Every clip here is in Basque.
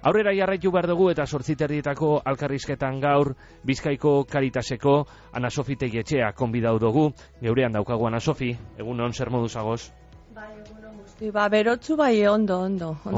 Aurrera jarraitu behar dugu eta 8:30 alkarrizketan gaur Bizkaiko Caritaseko Ana Sofi Tegietxea konbidatu dugu. Geurean daukagu Ana Sofi, egunon, zer moduz agoz? Bai, egunon guzti, berotzu bai ondo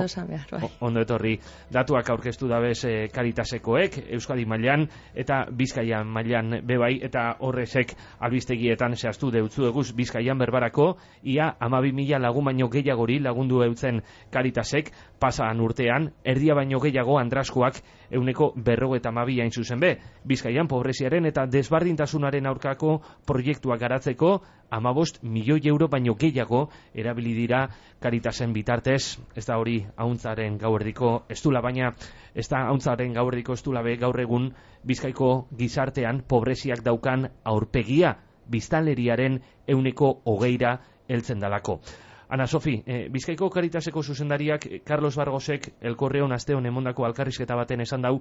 esan behar, bai. Ondo etorri, datuak aurkeztu dabez Caritasekoek, Euskadi mailan eta Bizkaian mailan bebai, eta horrezek albistegietan zehaztu deutzu eguz Bizkaian berbarako, ia 12.000 lagun baino gehiagori lagundu eutzen Caritasek, pasaan urtean, erdia baino gehiago andraskoak 152 hain zuzen be, Bizkaian pobreziaren eta desbardintasunaren aurkako proiektuak garatzeko 15 milioi euro baino gehiago erabili dira Caritasen bitartez. Ez da hori ahuntzaren gauerdiko estula, baina ez da ahuntzaren gauerdiko estula be gaur egun Bizkaiko gizartean pobreziak daukan aurpegia biztanleriaren 20% heltzen dalako. Ana Sofi, Bizkaiko Caritaseko zuzendariak Carlos Bargosek Elkorreon asteon emondako alkarrizketa baten esan dau,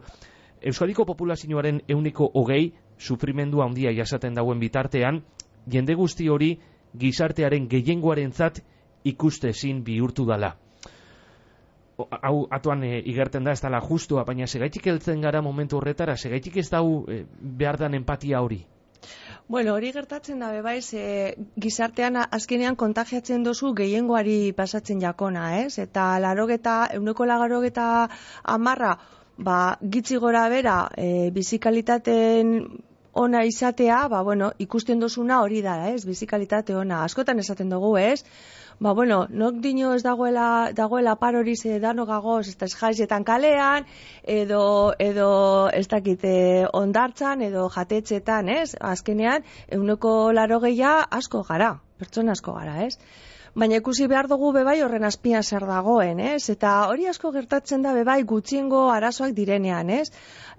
Euskadiko populazioaren 20% sufrimendu handia jasaten dauen bitartean, jende guzti hori gizartearen gehiengoarentzat ikustezin bihurtu dala. Hau atuan igerten da, ez dala justua, baina segaitik heltzen gara momentu horretara, segaitik ez dau behar dan empatia hori? Bueno, hori gertatzen da, bebaiz, gizartean azkenean kontagiatzen dozu gehiengoari pasatzen jakona, ez? Eta 80% gitzi gora bera, bizikalitateen ona izatea, ikusten dozuna hori da, ez? Bizikalitate ona. Askotan esaten dugu, ez? Nok dino ez dagoela parori ze dano gagoz, ez jaizietan kalean, edo ez dakit ondartzan, edo jatetxetan, ez? Azkenean, 80% asko gara, pertsona asko gara, ez? Baina ikusi behar dugu bebai horren azpian zer dagoen, ez? Eta hori asko gertatzen da bebai gutxiengo arazoak direnean, ez?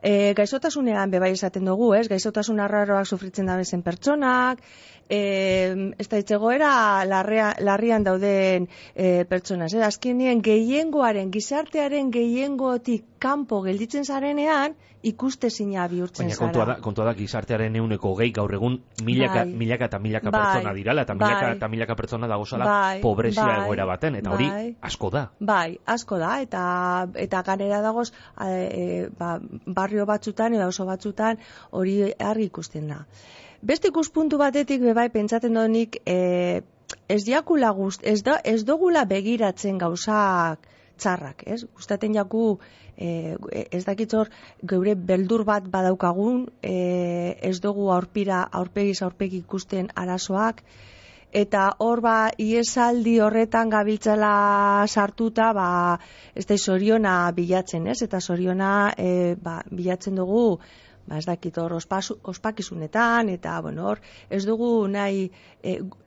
Gaixotasunean bebai esaten dugu, ez? Gaixotasun arraroak sufritzen dabezen pertsonak, ez da itzegoera larrian dauden pertsonaz. Azkenien gehiengoaren, gizartearen gehiengotik kanpo gelditzen zarenean, ikustezina bihurtzen zara. Baina kontua da gizartearen 20% gaur egun milaka eta milaka pertsona dirala, eta milaka eta milaka pertsona dagozala pobrezia egoera baten, eta hori asko da. Bai, asko da, eta ganera dagoz barrio batzutan, edo oso batzutan hori argi ikusten da. Beste ikuspuntu batetik bebai pentsaten donik ez dugula begiratzen gauzak txarrak, ez? Gustaten jaku ez dakitzor geure beldur bat badaukagun, ez dugu aurpegiz aurpegi ikusten arazoak, eta hor iesaldi horretan gabiltzala sartuta, ez da soriona bilatzen, ez? Eta soriona bilatzen dugu, ez dakit hor ospakizunetan, eta hor ez dugu nahi,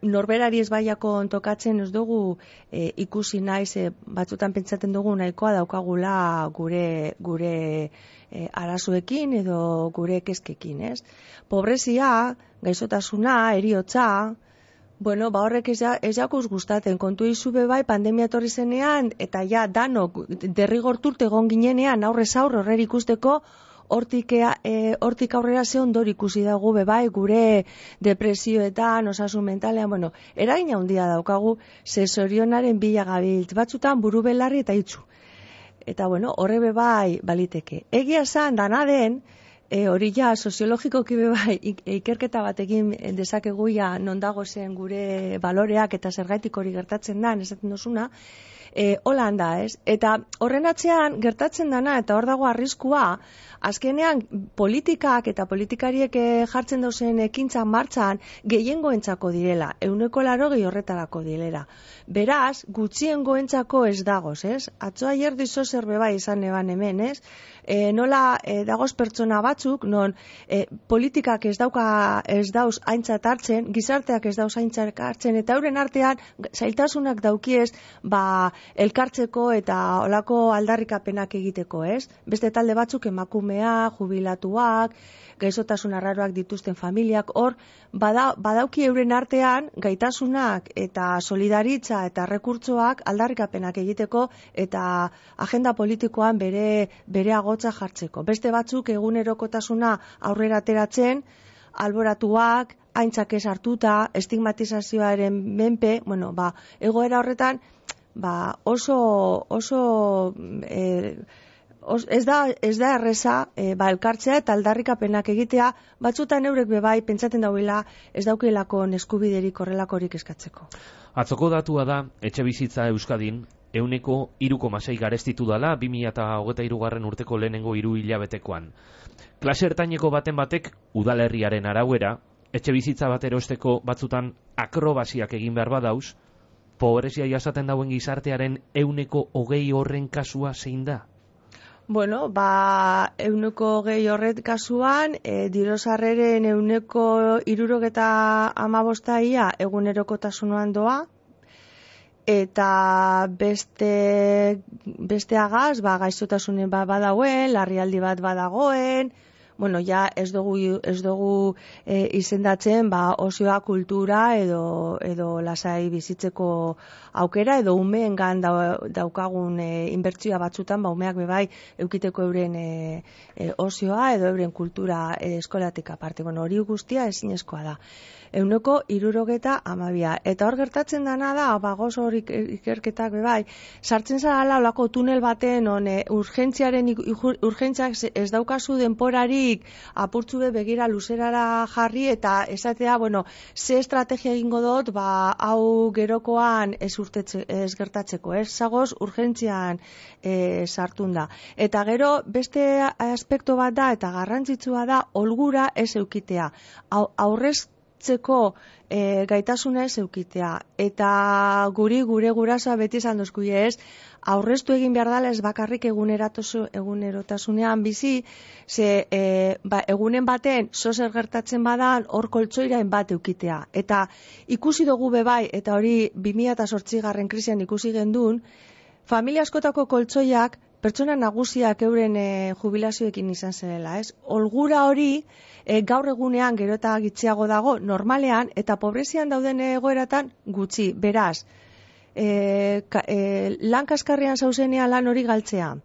norberari ez baiako ontokatzen ez dugu ikusi nahi, batzutan pentsaten dugu nahikoa daukagula gure arazoekin edo gure kezkekin, ez? Pobrezia, gaixotasuna, heriotza, horrek ez jakuz gustaten, kontu izu bebai pandemia etorri zenean, eta danok derrigorturt egon ginenean aurrez aurre horrer ikusteko, hortik aurrera ze ondor ikusi dago bebai gure depresioetan, osasun mentalean, eragina handia daukagu, ze zorionaren bila gabiltz, batzutan buru belarri eta itxu. Eta horre bebai baliteke. Egia zan, dana den, hori soziologikoki bebai ikerketa batekin dezakegu non dago zen gure baloreak eta zergaitik hori gertatzen da, esaten dozuna, hola handa, ez? Eta horren atzean gertatzen dana, eta hor dago arriskua, azkenean politikak eta politikariek jartzen dauzen ekintza martxan gehiengoentzako direla, 80% horretarako direla. Beraz, gutxiengoentzako ez dagoz, ez? Atzo aier dizo zer bebai izan eban hemen, ez? Nola dagoz pertsona batzuk, non politikak ez dauz aintzat hartzen, gizarteak ez dauz aintzat hartzen, eta euren artean zailtasunak daukiez, elkartzeko eta olako aldarrikapenak egiteko, ez? Beste talde batzuk emakumea, jubilatuak, gaixotasun arraroak dituzten familiak, hor badauki euren artean gaitasunak eta solidaritza eta rekurtsoak aldarrikapenak egiteko eta agenda politikoan bere agotza jartzeko. Beste batzuk egunerokotasuna aurrera ateratzen, alboratuak, aintzak ez hartuta, estigmatizazioaren menpe, oso ez da erreza elkartzea eta aldarrikapenak egitea, batzutan eurek bebai pentsaten dauela ez daukelako eskubiderik horrelakorik eskatzeko. Atzoko datua da, etxe bizitza Euskadin, 3,6 garestitu dala 2023 urteko lehenengo 3 hilabetekoan. Klase ertaineko baten batek udalerriaren arauera, etxe bizitza bat erosteko batzutan akrobasiak egin behar badauz, pobrezia jasaten dauen gizartearen 20 horren kasua zein da? Bueno, 20 horret kasuan, dirosarreren 75% egunerokotasunean doa, eta besteagaz, gaixotasunen bat badagoen, larrialdi bat badagoen, bueno, ja ez dugu izendatzen osioa, kultura edo lasai bizitzeko aukera edo umeengan daukagun inbertsioa batzutan, umeak bebai eukiteko euren osioa edo euren kultura eskolatik aparte. Bueno, hori guztia ezinezkoa da. 72. Eta hor gertatzen dana da, gozo hor ikerketak bebai, sartzen zara olako tunel baten, urgentziak ez daukazu denporarik, apurtzu begira luzerara jarri, eta esatea, ze estrategia egingo dut, hau gerokoan ez gertatzeko, ez zagoz urgentzian sartun da. Eta gero, beste aspektu bat da, eta garrantzitsua da, olgura ez eukitea. Aurreztzeko gaitasuna ez eukitea. Eta gure gurasoa beti izan dozku ez, aurreztu egin behar dela ez bakarrik egunerotasunean bizi, ze egunen baten zozer gertatzen badan hor koltsoirain bat eukitea. Eta ikusi dugu bebai, eta hori 2008 krisian ikusi gendun, familia askotako koltsoiak pertsona nagusiak euren jubilazioekin izan zela, ez? Olgura hori gaur egunean gero eta gitxiago dago normalean eta pobrezian dauden egoeratan gutxi. Beraz, lan kaskarrean zauzenean lan hori galtzea.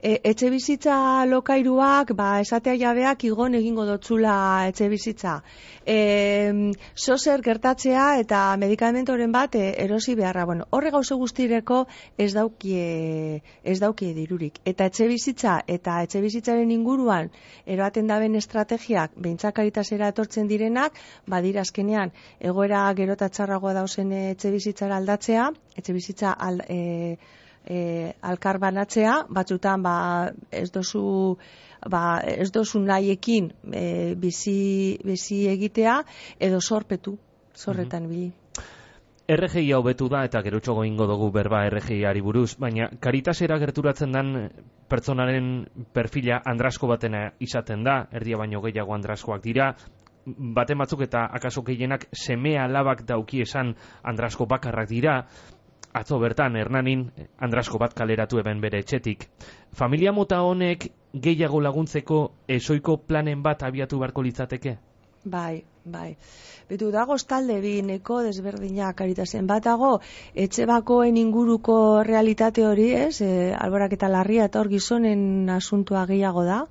Etxe bizitza lokairuak, esatea jabeak igon egingo dotzula etxe bizitza. Zozer gertatzea eta medikamentoren bat erosi beharra. Horre gauze guztireko ez daukie dirurik. Eta etxe bizitza eta etxe bizitzaren inguruan eroaten daben estrategiak behintzak Caritasera etortzen direnak, badira azkenean egoera gero eta txarragoa dauzen etxe bizitzara aldatzea, etxe bizitza alkar banatzea, batzutan ez dozu nahiekin bizi egitea edo zorretan bili. RGI hau betu da eta gerotxogo ingo dugu berba RGI-ari buruz, baina Caritasera gerturatzen den pertsonaren perfila andrasko batena izaten da, erdia baino gehiago andraskoak dira, baten batzuk eta akaso gehienak seme alabak dauki esan andrasko bakarrak dira. Atzo bertan, Hernanin, andrasko bat kaleratu eben bere etxetik. Familia mota honek gehiago laguntzeko ezoiko planen bat abiatu beharko litzateke? Bai. Betu dago talde bineko desberdinak Caritasen bat dago, etxe bakoen inguruko realitate hori, ez? Alborak eta larria eta hor gizonen asuntua gehiago da.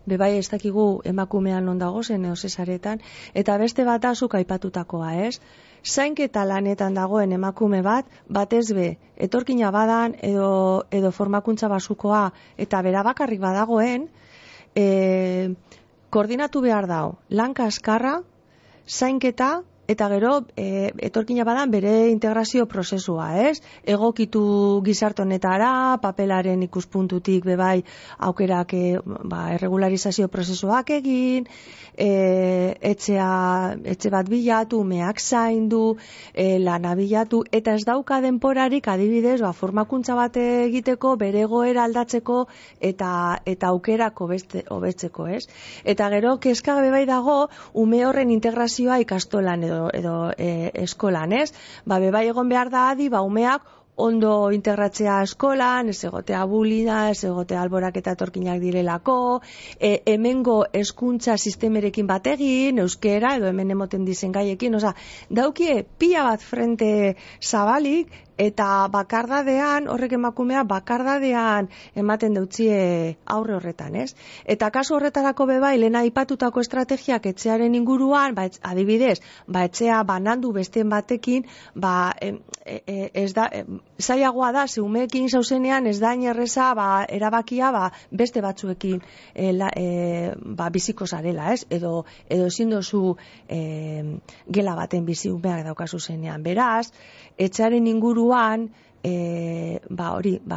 Bebai ez dakigu emakumean ondago zen eosesaretan, eta beste bat azuk aipatutakoa, ez? Zainketa lanetan dagoen emakume batez be, etorkina badan edo formakuntza basukoa eta bera bakarrik badagoen, koordinatu behar dago, lan kaskarra, zainketa, eta gero etorkina badan bere integrazio prozesua, ez? Egokitu gizarte honetara, papelaren ikuspuntutik bebai aukerak erregularizazio prozesuak egin, etxe bat bilatu, umeak zaindu, lana bilatu, eta ez dauka denporarik adibidez, formakuntza bat egiteko, bere egoera aldatzeko eta aukerako hobetzeko, ez? Eta gero kezka bebai dago ume horren integrazioa ikastolan edo eskolan, ez? Bebai egon behar da adi, umeak ondo integratzea eskolan, ez egotea bulina, ez egotea alborak eta etorkinak direlako, hemengo hezkuntza sistemerekin bat egin, euskera, edo hemen emoten dizen gaiekin, daukie pila bat frente zabalik, eta bakardadean, horrek emakumea bakardadean ematen deutzie aurre horretan, ez? Eta kasu horretarako bebai, lehena aipatutako estrategiak etxearen inguruan, adibidez, etxea banandu besteen batekin, ez da, zailagoa da, zeumeekin zauzenean ez da inerreza erabakia beste batzuekin biziko zarela, ez? Edo ezin dozu gela baten bizi umeak daukazu zenean. Beraz, etxearen inguruan,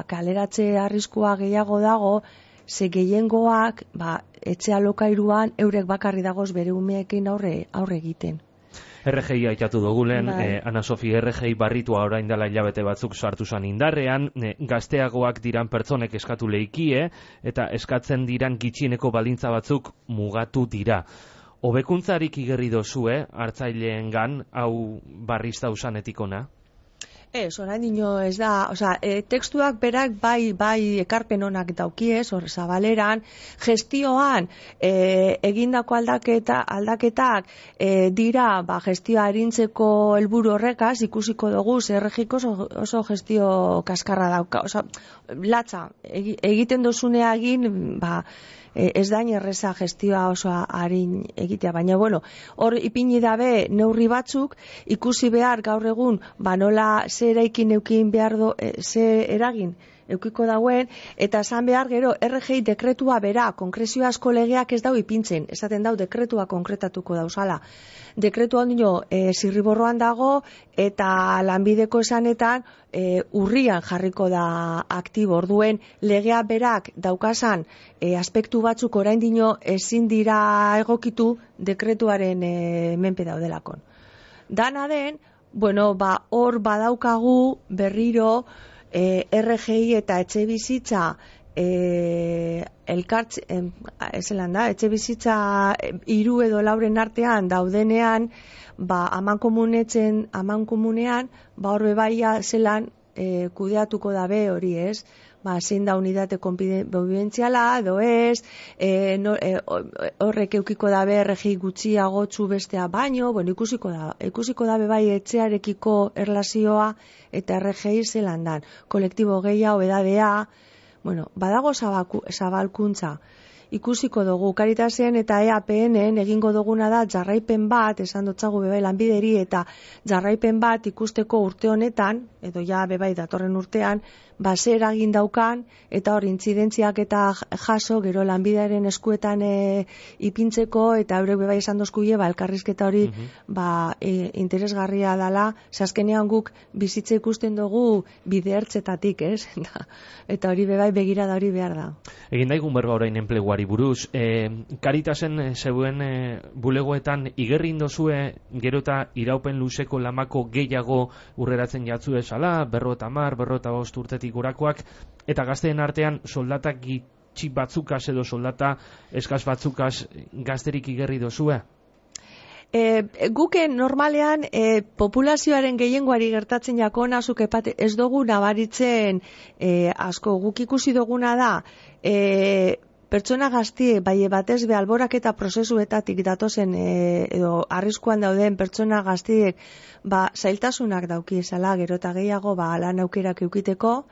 kaleratze arriskua gehiago dago, ze gehiengoak, etxe alokairuan eurek bakarri dagoz bere umeekin aurre egiten. RGI aitatu dugu lehen, Ana Sofi, RGI barritua orain dela hilabete batzuk sartu zan indarrean, gazteagoak diran pertsonek eskatu leikie, eta eskatzen diran gitxieneko baldintza batzuk mugatu dira. Hobekuntzarik igerri dozue, hartzaileengan, hau barrizta usanetik ona? Ez, orain dino ez da, tekstuak berak bai ekarpen onak daukiez, hor zabaleran, gestioan egindako aldaketak dira gestioa arintzeko helburu horrekaz, ikusiko dugu, RGIko oso gestio kaskarra dauka, latza, egiten dozunea egin, ez da erreza gestioa oso arin egitea, baina hor ipini dabe neurri batzuk, ikusi behar gaur egun, nola ze eraikin eukin behar ze eragin eukiko dauen, eta esan behar gero RGI dekretua bera, konkrezio asko legeak ez dau ipintzen, esaten dau dekretua konkretatuko dauzala. Dekretua ondino zirriborroan dago, eta lanbideko esanetan urrian jarriko da aktibo, orduen legea berak daukazan aspektu batzuk orain dino ezin dira egokitu dekretuaren menpe daudelakon. Dana den, hor badaukagu berriro RGI eta etxe bizitza etxe bizitza 3 edo 4 artean daudenean, amankomunean, hor bebaia zelan kudeatuko dabe hori, ez? Zein da unidate konbibentziala, edo ez, horrek eukiko dabe RGI gutxiagotzu bestea baino, ikusiko dabe bai etxearekiko erlazioa eta RGI zelan dan. Kolektibo gehiago, edadea, badago zabalkuntza. Ikusiko dugu, Karitasen eta EAPN-en egingo duguna da jarraipen bat, esan dotzagu bebai lanbideri, eta jarraipen bat ikusteko urte honetan, edo bebai datorren urtean, zer eragin daukan, eta hor intzidentziak eta jaso, gero lanbidearen eskuetan ipintzeko, eta eurek bebai esan dozkuie, elkarrizketa hori interesgarria dela, azkenean guk bizitza ikusten dugu bide ertzetatik, ez? Eta hori bebai begirada hori behar da. Egin daigun berba orain enpleguari buruz, Karitasen zeuen bulegoetan igerri indozue gero eta iraupen luzeko lamako gehiago urreratzen jatzu esala, 50, 55 urtetik gorakoak, eta gazteen artean soldatak gitxi batzukaz edo soldata eskaz batzukaz gazterik igerri dozue? Guke normalean populazioaren gehiengoari gertatzen jakona, ez dugu nabaritzen asko, guk ikusi duguna da pertsona gaztiek, batez be alboraketa prozesuetatik datozen edo arriskuan dauden pertsona gaztiek zailtasunak dauki esala, gero eta gehiago lan aukerak eukiteko.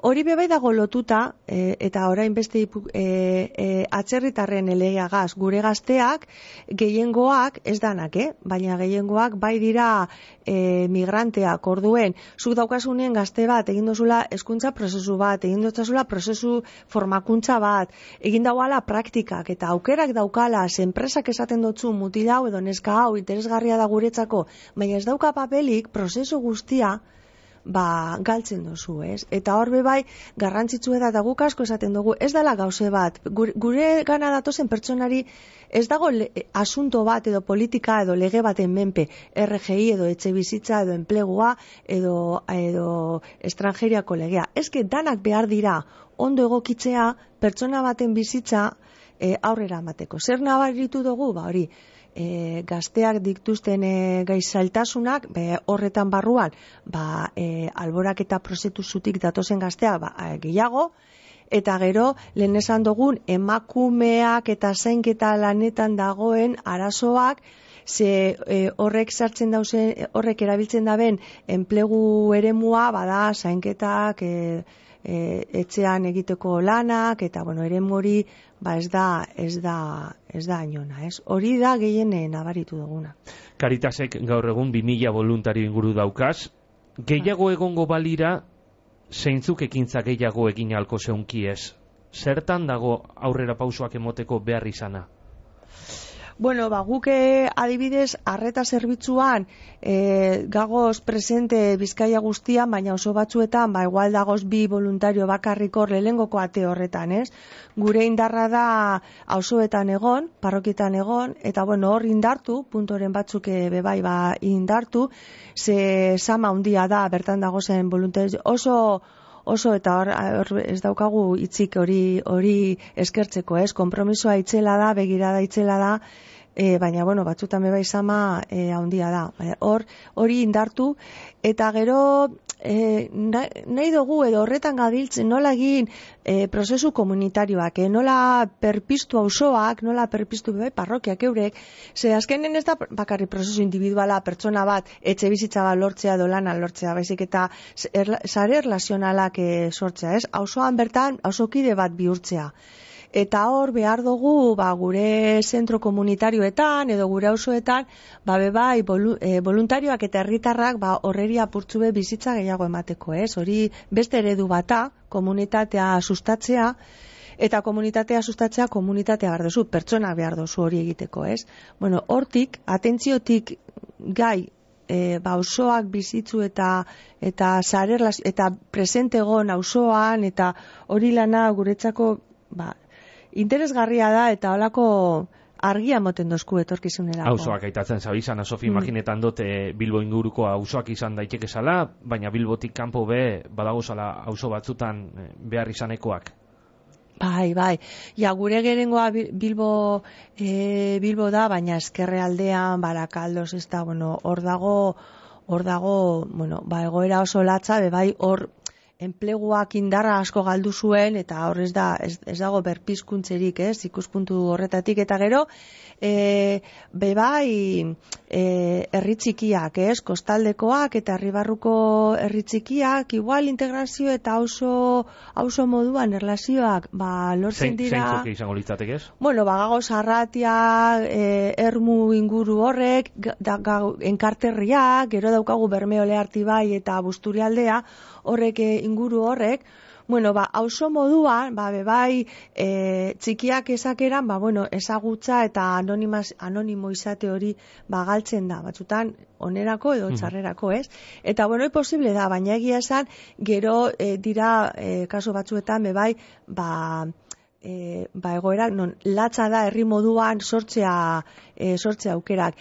Hori bebai dago lotuta, eta orain beste atzerritarren eleagaz, gure gazteak gehiengoak, ez danak, baina gehiengoak bai dira migranteak, orduen, zuk daukasunen gazte bat, egin dozula hezkuntza prozesu bat, egin dozula prozesu formakuntza bat, egin dauala praktikak, eta aukerak daukala, enpresak esaten dotzu mutila hau edo neska hau interesgarria da guretzako, baina ez dauka papelik, prozesu guztia, galtzen dozu, ez? Eta hor bebai, garrantzitsu eta guk asko esaten dugu, ez dela gauze bat, gure gana datozen pertsonari ez dago asunto bat edo politika edo lege baten menpe, RGI edo etxe bizitza edo enplegua edo estrangeriako legea. Ezke danak behar dira ondo egokitzea pertsona baten bizitza aurrera amateko. Zer nabaritu dugu? Hori, gazteak dituzten gaizaltasunak horretan barruan alborak eta prozesutik datozen gazteak gehiago, eta gero lehen esan dugun emakumeak eta zainketa lanetan dagoen arazoak ze horrek erabiltzen daben enplegu eremua, bada, zainketak, etxean egiteko lanak, eta, bueno, eremu hori, ez da ainona, ez? Hori da gehien nabaritu duguna. Caritasek gaur egun 2000 voluntario inguru daukaz, gehiago egongo balira, zeintzuk ekintza gehiago egin ahalko zeunki ez? Zertan dago aurrera pausoak emoteko behar izana? Bueno, guk adibidez, arreta zerbitzuan gagoz presente Bizkaia guztian, baina oso batzuetan, igual dagoz 2 voluntario bakarrik hor lehengoko ate horretan, ez? Gure indarra da auzoetan egon, parrokietan egon, eta bueno, hor indartu, puntoren batzuk bebai indartu, ze sama handia da, bertan dagozen voluntario, oso eta hor ez daukagu hitzik hori eskertzeko, ez? Konpromisoa itzela da, begirada itzela da, baina, bueno, batzutan bebai sama handia da. Hori indartu, eta gero nahi dugu edo horretan gabiltzen nola egin prozesu komunitarioak, nola perpiztu auzoak, nola perpiztu bebai parrokiak eurek, ze azkenen ez da bakarri prozesu individuala pertsona bat, etxe bizitza bat lortzea edo lana lortzea, baizik eta sare erlazionalak sortzea, ez? Auzoan bertan, auzokide bat bihurtzea. Eta hor behar dugu gure zentro komunitarioetan edo gure auzoetan bebai voluntarioak eta herritarrak horreri apurtzu bizitza gehiago emateko, ez? Hori beste eredu bata, komunitatea sustatzea, eta komunitatea sustatzea komunitatea behar duzu, pertsonak behar duzu hori egiteko, ez? Bueno, hortik, atentziotik gai auzoak bizitzu eta presente egon auzoan, eta hori lana guretzako interesgarria da, eta holako argia moten dozku etorkizunerako. Auzoak aitatzen zabizan, Sofi, imaginetan dut Bilbo inguruko auzoak izan daiteke zala, baina Bilbotik kanpo badagozala auzo batzutan behar izanekoak. Bai. Ja, gure gerengoa Bilbo da, baina ezkerrealdean, Barakaldos, ez da, bueno, hor dago, bueno, egoera oso latza, bai, hor enpleguak indarra asko galdu zuen, eta hor ez dago berpizkuntzerik, ez, ikuspuntu horretatik, eta gero, bebai, herri txikiak, ez, kostaldekoak eta herribarruko herri txikiak, igual integrazio eta auzo moduan erlazioak, lortzen dira. Zeintzuk izango litzatek, ez? Bueno, gagoz Arratia, Ermu inguru horrek, enkarterriak, gero daukagu Bermeole Artibai eta Busturialdea, horrek inguru horrek, bueno, auzo moduan, bebai txikiak esakeran, bueno, ezagutza eta anonimo izate hori galtzen da, batzutan onerako edo txarrerako, ez? Eta, bueno, posible da, baina egia esan, gero dira kasu batzuetan, bebai, egoera, non latza da herri moduan sortzea aukerak,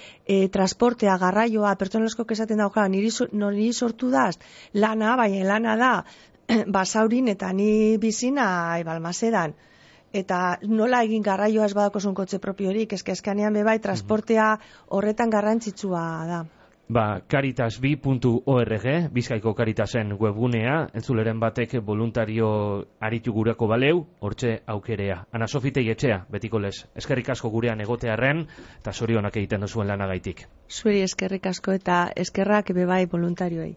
transportea, garraioa, pertsonezko esaten dauka, niri sortu daz, lana, baina lana da, basaurin eta ni bizina Balmasedan. Eta nola egin garraioa ez badakozun kotxe propiorik, eskanean bebai, transportea horretan garrantzitsua da. Caritas2.org, Bizkaiko Caritasen webgunea, entzuleren batek voluntario aritu gurako baleu, hortxe aukerea. Ana Sofi Teietxea, betiko lez, eskerrik asko gurean egotearren, eta zorionak egiten duzuen lanagaitik. Zuri eskerrik asko eta eskerrak bebai voluntarioei.